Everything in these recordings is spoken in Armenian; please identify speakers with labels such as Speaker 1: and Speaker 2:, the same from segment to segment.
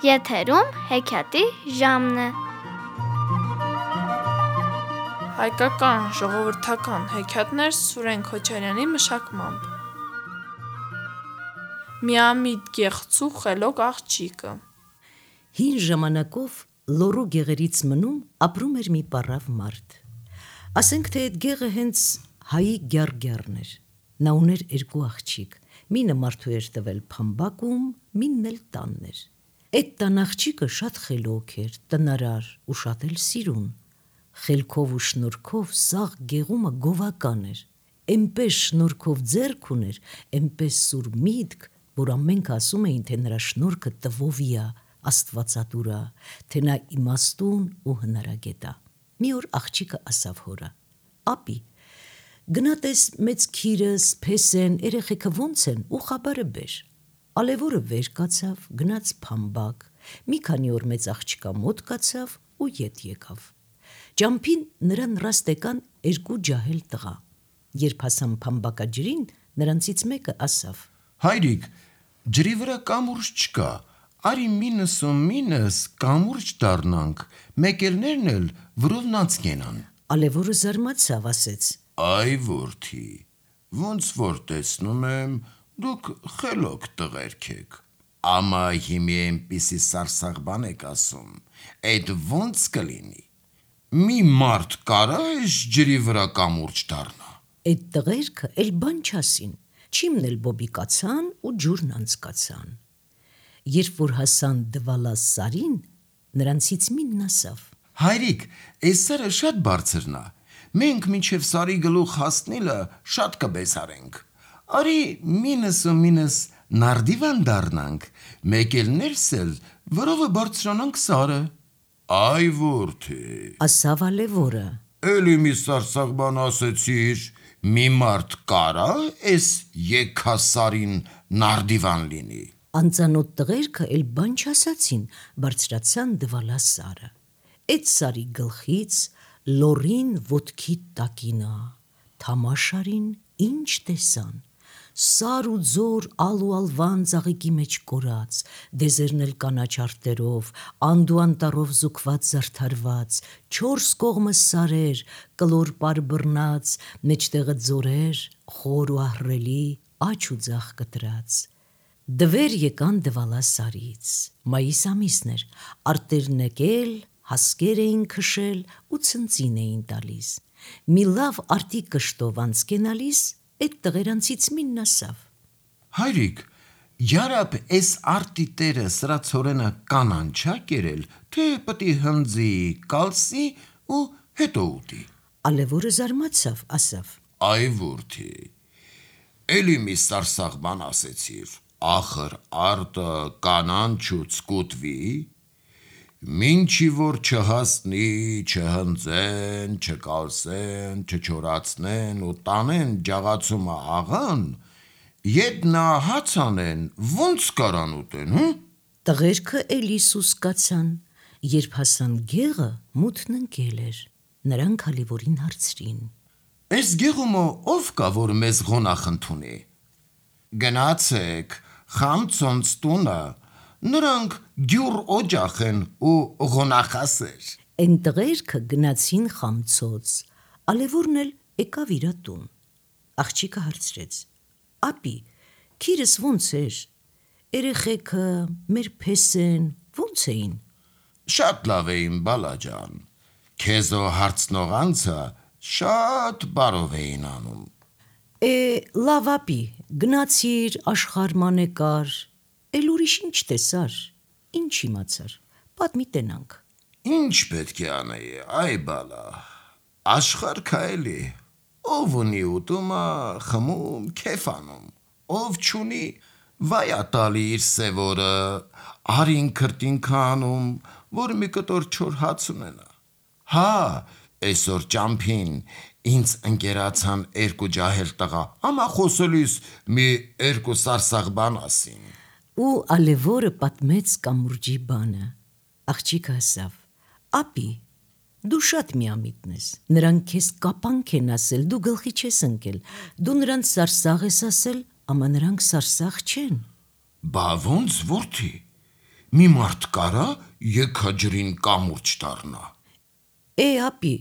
Speaker 1: Եթերում հեքիաթի ժամն է։
Speaker 2: Հայկական ժողովրդական հեքիաթներ Սուրեն Քոչարյանի մշակմամբ։ Միամիտ գեղցու խելոք աղջիկը։
Speaker 3: Հին ժամանակով լոռու գեղերից մնում ապրում էր մի պառավ մարդ։ Ասենք թե այդ գեղը հենց հայի գյառգյառն էր։ Նա ուներ երկու աղջիկ, մինը մարդու էր տվել փամբակում, մինն էլ տանն էր։ Այդ տան աղջիկը շատ խելոք էր, տնարար ու շատ էլ սիրուն։ Խելքով ու շնորհքով սաղ գեղումը գովական էր, էնպես շնորհքով ձեռք ուներ, էնպես սուր միտք, որ ամենք ասում էին, թե նրա շնորհքը տվովի է, աստվածատուր է, թե նա իմաստուն ու հնարագետ է։ Մի օր աղջիկը ասավ հորը. «Ապի, գնա տես մեծ քիրս, փեսեն, երեխեքը ոնց են ու խաբարը բեր»։ Ալևորը վեր կացավ, գնաց փամբակ, մի քանի օր մեծ աղջկա մոտ կացավ ու ետ եկավ։ Ճամփին նրան ռաստ եկան երկու ջահել տղա։ Երբ հասան փամբակաջրին, նրանցից մեկը ասավ.
Speaker 4: «Հայրիկ, ջրի վրա կամուրջ չկա, արի մինս կամուրջ դառնանք, մեկելներն էլ վրովնանց կենան»։
Speaker 3: Ալևորը զարմացավ, ասեց.
Speaker 4: «Այ որդի, ոնց որ տեսնում եմ, դուք խելոք տղերք եք, ամա հիմի այնպիսի սարսաղ բան եք ասում, այդ ոնց կլինի, մի մարդ կարա այս ջրի վրա կամուրջ դառնա»։
Speaker 3: Այդ տղերքը էլ բան չասին, չիմն էլ բոբիկացան ու ջուրն անցկացան։ Երբ որ հասան դվալա սարին, նրանցից մինն ասավ.
Speaker 4: «Հայրիկ, այս սարը շատ բարձրն է, մենք մինչև սարի գլուխ հասնելը շատ կբեսարենք, արի մինս նարդիվան դառնանք, մեկելներս էլ վրովը բարձրանանք սարը»։ «Այ որդի»,
Speaker 3: ասավ ալևորը,
Speaker 4: «էլի մի սարսաղ բան ասեցիր, մի մարդ կարա այս եքասարին նարդիվան լինի»։
Speaker 3: Անծանոթ տղերքը էլ բան չասացին, բարձրացան դվալա սարը։ Այդ սարի գլխից լոռին ոտքի տակինա, թամաշարին ինչ տեսան, սար ու ձոր ալ ու ալվան ծաղիկի մեջ կորած, դեզերն էլ կանաչ արտերով, անդ ու անտառով զուգված զարդարված, չորս կողմը սարեր, կլոր պար բռնած, մեջտեղը ձորեր, խոր ու ահռելի, աջ ու ձախ կտրած։ Դվեր եկան դվալա սարից, մայիս ամիսն էր, արտերն եկել, հասկեր էին քշել ու ցնծին էին տալիս։ Մի լավ արտի կշտով անցկենալիս, այդ տղերանցից մինն ասավ.
Speaker 4: «Հայրիկ, յարապ այս արտի տերը սրացորենը կանան չա կերել, թե պտի հնձի, կալսի ու հետո ուտի»։
Speaker 3: Ալևորը զարմացավ, ասավ.
Speaker 4: «Այ որդի, էլի մի սարսաղ բան ասեցիր, ախր արտը կանանչուց կուտվի, մինչի որ չհասնի, չհնձեն, չկալսեն, չչորացնեն ու տանեն ջաղացումը աղան, ետ նա հաց անեն, ոնց կարան ուտեն, հը»։
Speaker 3: Տղերքը էլի սուսկացան, երբ հասան գեղը, մութն ընկել էր, նրանք ալևորին հարցրին.
Speaker 4: «Այս գեղումը ով կա, որ մեզ ղոնախ ընդունի»։ «Գնացեք, խամցոնց տունը, նրանք գյուր օջախ են ու ղոնախասեր»։
Speaker 3: Էն տղերքը գնացին խամցոց, ալևորն էլ եկավ իրա տուն։ Աղջիկը հարցրեց. «Ապի, քիրս ոնց էր, երեխեքը, մեր փեսեն ոնց էին»։
Speaker 4: «Շատ լավ էին, բալաջան, քեզո հարցնող անձը շատ բարով էին անում»։
Speaker 3: Լավ ապի, գնացիր, աշխարհման եկար, էլ ուրիշ ինչ տեսար, ինչ իմացար, պատմի տենանք։
Speaker 4: «Ինչ պետք է անեի, այ բալա, աշխարհ կա էլի, ով ունի ուտումը, խմում, քեֆ անում, ով չունի, վայ ա տալի իր սևորը, արին քրտինքը անում, որ մի կտոր չոր հաց ունենա։ Հա, այսօր ճամփին ինձ ընկերացան երկու ջահել տղա, ամա խոսելիս մի երկու սարսաղ բան ասին»։
Speaker 3: Ու ալևորը պատմեց կամուրջի բանը։ Աղջիկը ասավ. «Ապի, դու շատ միամիտն ես, նրանք քեզ կապանք են ասել, դու գլխի չես ընկել, դու նրանց սարսաղ ես ասել, ամա նրանք սարսաղ չեն»։
Speaker 4: «Բա ոնց որդի, մի մարդ կարա եկաջրին կամուրջ դառնա։
Speaker 3: Ապի,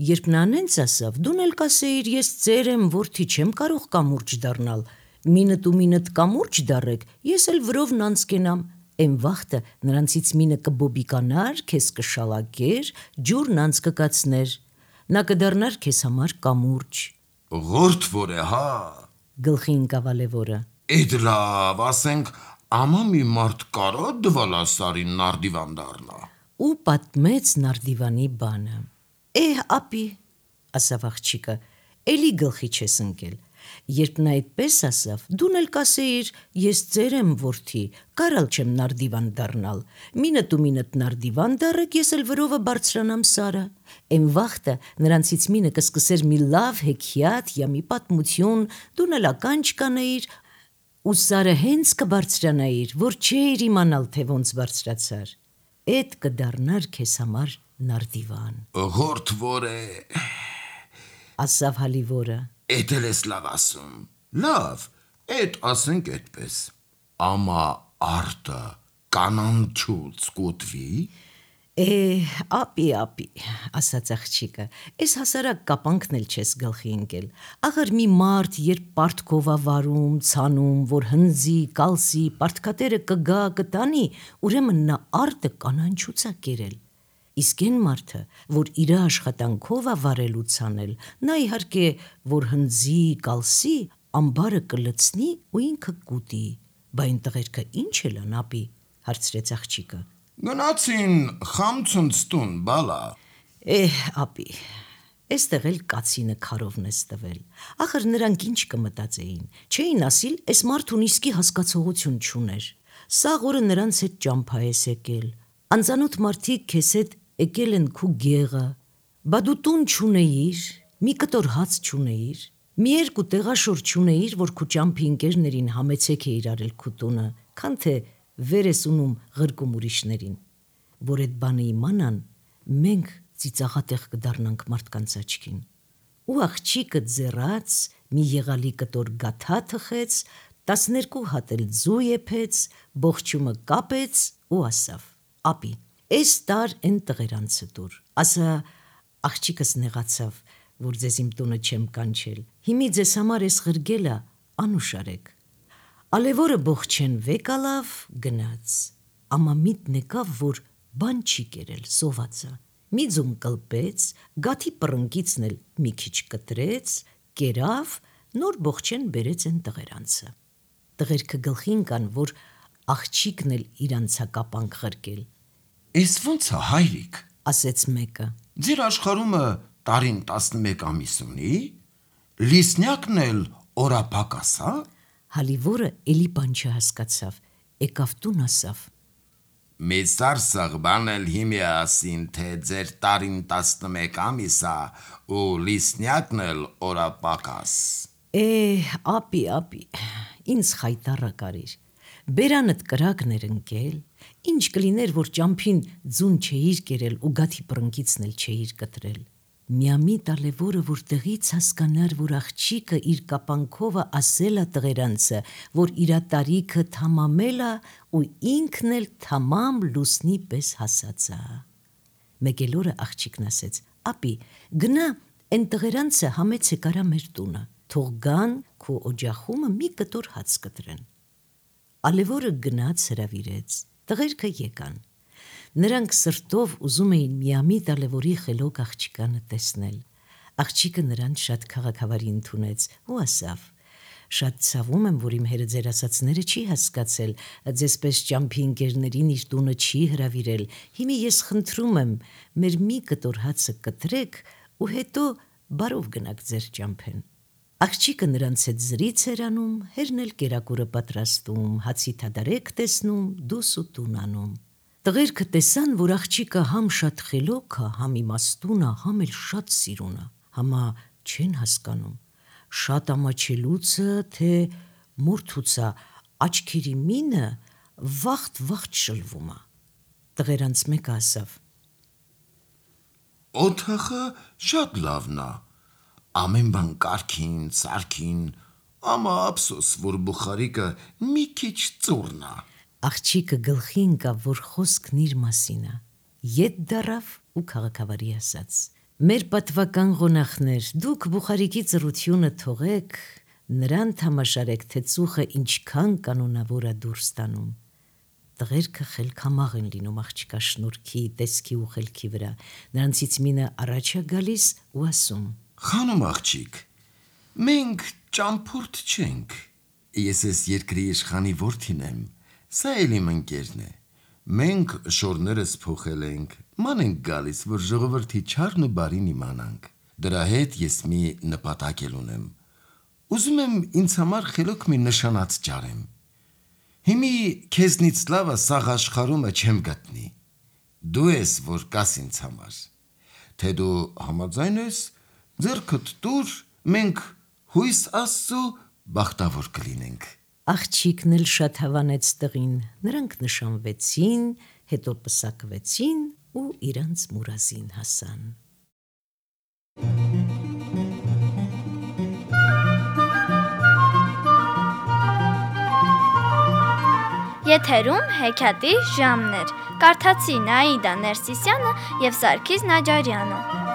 Speaker 3: երբ նա նենց ասավ, դուն էլ կասեիր, ես ծեր եմ, որդի չեմ կարող կամուրջ դառնալ, մինդ ու մինդ կամուրջ դառեք, ես էլ վրով նանց կենամ, Էն վաղտը նրանցից մինը կբոբիկանար, քեզ կշալակեր, ջուր նանց կկացներ, նա կդառնար քեզ համար կամուրջ։
Speaker 4: Ղորդ որ է, հա։
Speaker 3: Գլխի ընկավ Ալևորը։
Speaker 4: Էդ լավ, ասենք, ամա մի մարդ կարա դվալասարին նարդիվան դառնա։
Speaker 3: Ու պատմեց նարդիվանի բանը։ Ապի, ասավ աղջիկը, էլի գլխի չես ընկել։ Երբ նա այդպես ասավ, դուն էլ կասեիր, ես ծեր եմ որդի, կարալ չեմ նարդիվան դառնալ, մինդ ու մինդ նարդիվան դառեք, ես էլ վրովը բարձրանամ Սարը։ Էն վաղտը նրանցից մինը կսկսեր մի լավ հեքիաթ յա մի պատմություն, դուն էլ ականջ կանեիր, ու Սարը հենց կբարձրանայիր, որ չէիր իմանալ, թե ոնց բարձրացար։ Էդ կդառնար քեզ համար նարդիվան։
Speaker 4: Ղորդ որ է,
Speaker 3: ասավ Հալիվորը։
Speaker 4: Էդ էլ ես լավ ասում։ Լավ, էդ ասենք էդպես։ Ամա արտը կանանչուց կուտվի։
Speaker 3: Ապի, ասաց աղջիկը, ես հասարակ կապանքն էլ չես գլխի ընկել։ Աղր մի մարդ, երբ պարտքով ա վարում, ցանում, որ հնձի, կալսի, պարտքատերը կգա, կտանի, ուրեմն նա արտը կանանչուց ա կերել։ Իսկ այն մարդը, որ իր աշխատանքով ա վարել ու ցանել, նա իհարկե, որ հնձի, կալսի, ամբարը կլցնի ու ինքը կուտի։ Բա այն տղերքը ինչ էլ են, ապի, հարցրեց աղջիկը։
Speaker 4: Գնացին խամցունցտուն, բալա։
Speaker 3: Ապի, էստեղ էլ կացինը քարովն ես տվել։ Ախր նրանք ինչ կմտածեին, չէին ասիլ, էս մարդուն իսկի հասկացողություն չուներ։ Սաղ օրը նրանց հետ ճամփա ես եկել։ Անծանոթ մարդիկ քեզ հետ եկել են քու գեղը, բա դու տուն չունեիր, մի կտոր հաց չունեիր, մի երկու տեղաշոր չունեիր, որ քու ճամփի ընկերներին համեցեք էիր արել քու տունը, քան թե վեր ես ունում ղրկում ուրիշներին, որ այդ բանը իմանան, մենք ծիծաղատեղ կդառնանք մարդկանց աչքին։ Ու աղջիկը ձեռած մի եղալի կտոր գաթա թխեց, 12 հատ էլ ձու եփեց, բողջումը կապեց ու ասավ. Ապի, էս տար են տղերանցը դուր, ասա աղջիկս նեղացավ, որ ձեզ իմ տունը չեմ կանչել, հիմի ձեզ համար ես ղրգելա, անուշարեք։ Ալևորը բողջեն վեկալավ, գնաց, ամա միտ նեկավ, որ բան չի կերել, սովածա, մի ձուն կլպեց, գաթի պռնկիցն էլ մի քիչ կտրեց, կերավ, նոր բողջեն բերեց են տղերանցը։ Տղերքը գլխին կան, որ աղջիկն էլ իրանց հակապանք ղրկել։
Speaker 4: Էս ոնց է, հայրիկ,
Speaker 3: ասեց մեկը։
Speaker 4: Ձեր աշխարհումը տարին 11 ամիս ունի, լիսնյակն էլ օրապակաս, հա։
Speaker 3: Հալիվորը էլի բան չհասկացավ, եկավ տուն ասավ.
Speaker 4: Մեծ սարսաղբան էլ հիմի ասին, թե ձեր տարին 11 ամիս է, ու լիսնյակն էլ օրապակաս։
Speaker 3: Ապի, ինձ խայտառը կարիր, բերանդ կրակներ ընկել, ինչ կլիներ, որ ճամփին ձուն չէիր կերել ու գաթի պռնկիցն էլ չէիր կտրել։ Միամիտ Ալևորը, որ տեղից հասկանար, որ աղջիկը իր կապանքովը ասել է տղերանցը, որ իրա տարիքը թամամել է ու ինքն էլ թամամ լուսնի պես հասած է։ Մեկ էլ օրը աղջիկն ասեց. Ապի, գնա են տղերանցը համեցեք արա մեր տունը, թող գան քո օջախումը մի կտոր հաց կտրեն։ Ալևորը գնաց հրավիրեց, տղերքը եկան։ Նրանք սրտով ուզում էին միամիտ Ալևորի խելոք աղջիկանը տեսնել։ Աղջիկը նրանց շատ քաղաքավարի ընդունեց ու ասավ. Շատ ցավում եմ, որ իմ հերը ձեր ասածները չի հասկացել, ձեզպես ճամփի ընկերներին իր տունը չի հրավիրել։ Հիմի ես խնդրում եմ, մեր մի կտոր հացը կտրեք ու հետո բարով գնաք ձեր ճամփեն։ Աղջիկը նրանց հետ զրից էր անում, հերն էլ կերակուրը պատրաստում, հացի թադարեք տեսնում, դուս ու տուն անում։ Տղերքը տեսան, որ աղջիկը համ շատ խելոք է, համ իմաստուն է, համ էլ շատ սիրուն է, համա չեն հասկանում, շատ ամաչելուցը, թե մորթուցա, աչքերի մինը վաղտ շլվում է։ Տղերանց մեկը ասավ.
Speaker 4: Օթախը շատ լավն է, ամեն բան կարգին, սարքին, ամա ափսոս, որ բուխարիկը մի քիչ ծուրն է։
Speaker 3: Աղջիկը գլխի ընկավ, որ խոսքն իր մասին է։ Ետ դարավ ու քաղաքավարի ասաց. «Մեր պատվական ղոնախներ, դուք Բուխարիկի ծրությունը թողեք, նրան թամաշարեք, թե ծուխը ինչքան կանոնավոր է դուրս տանում»։ Տղերքը խելքամաղ են լինում աղջկա շնորհքի, տեսքի ու խելքի վրա։ Նրանցից մինը առաջ է գալիս ու ասում.
Speaker 4: Խանոմ աղջիկ, մենք ճամփորդ չենք։ Ես ես երկրի իշխանի որդին եմ, սա էլ իմ ընկերն է։ Մենք շորներս փոխել ենք, ման ենք գալիս, որ ժողովրդի չարն ու բարին իմանանք։ Դրա հետ ես մի նպատակ էլ ունեմ։ Ուզում եմ ինձ համար խելոք մի նշանած ջարեմ։ Հիմի քեզնից լավը սաղ աշխարհումը չեմ գտնի։ Դու ես, որ կաս ինձ համար։ Թե դու համաձայն ես, ձեռքդ տուր, մենք հույս Աստծո բախտավոր կլինենք։
Speaker 3: Աղջիկն էլ շատ հավանեց տղին, նրանք նշանվեցին, հետո պսակվեցին ու իրանց մուրազին հասան։
Speaker 1: Եթերում հեքիաթի ժամն էր։ Կարդացի Նաիդա Ներսիսյանը և Սարգիս Նաջարյանը։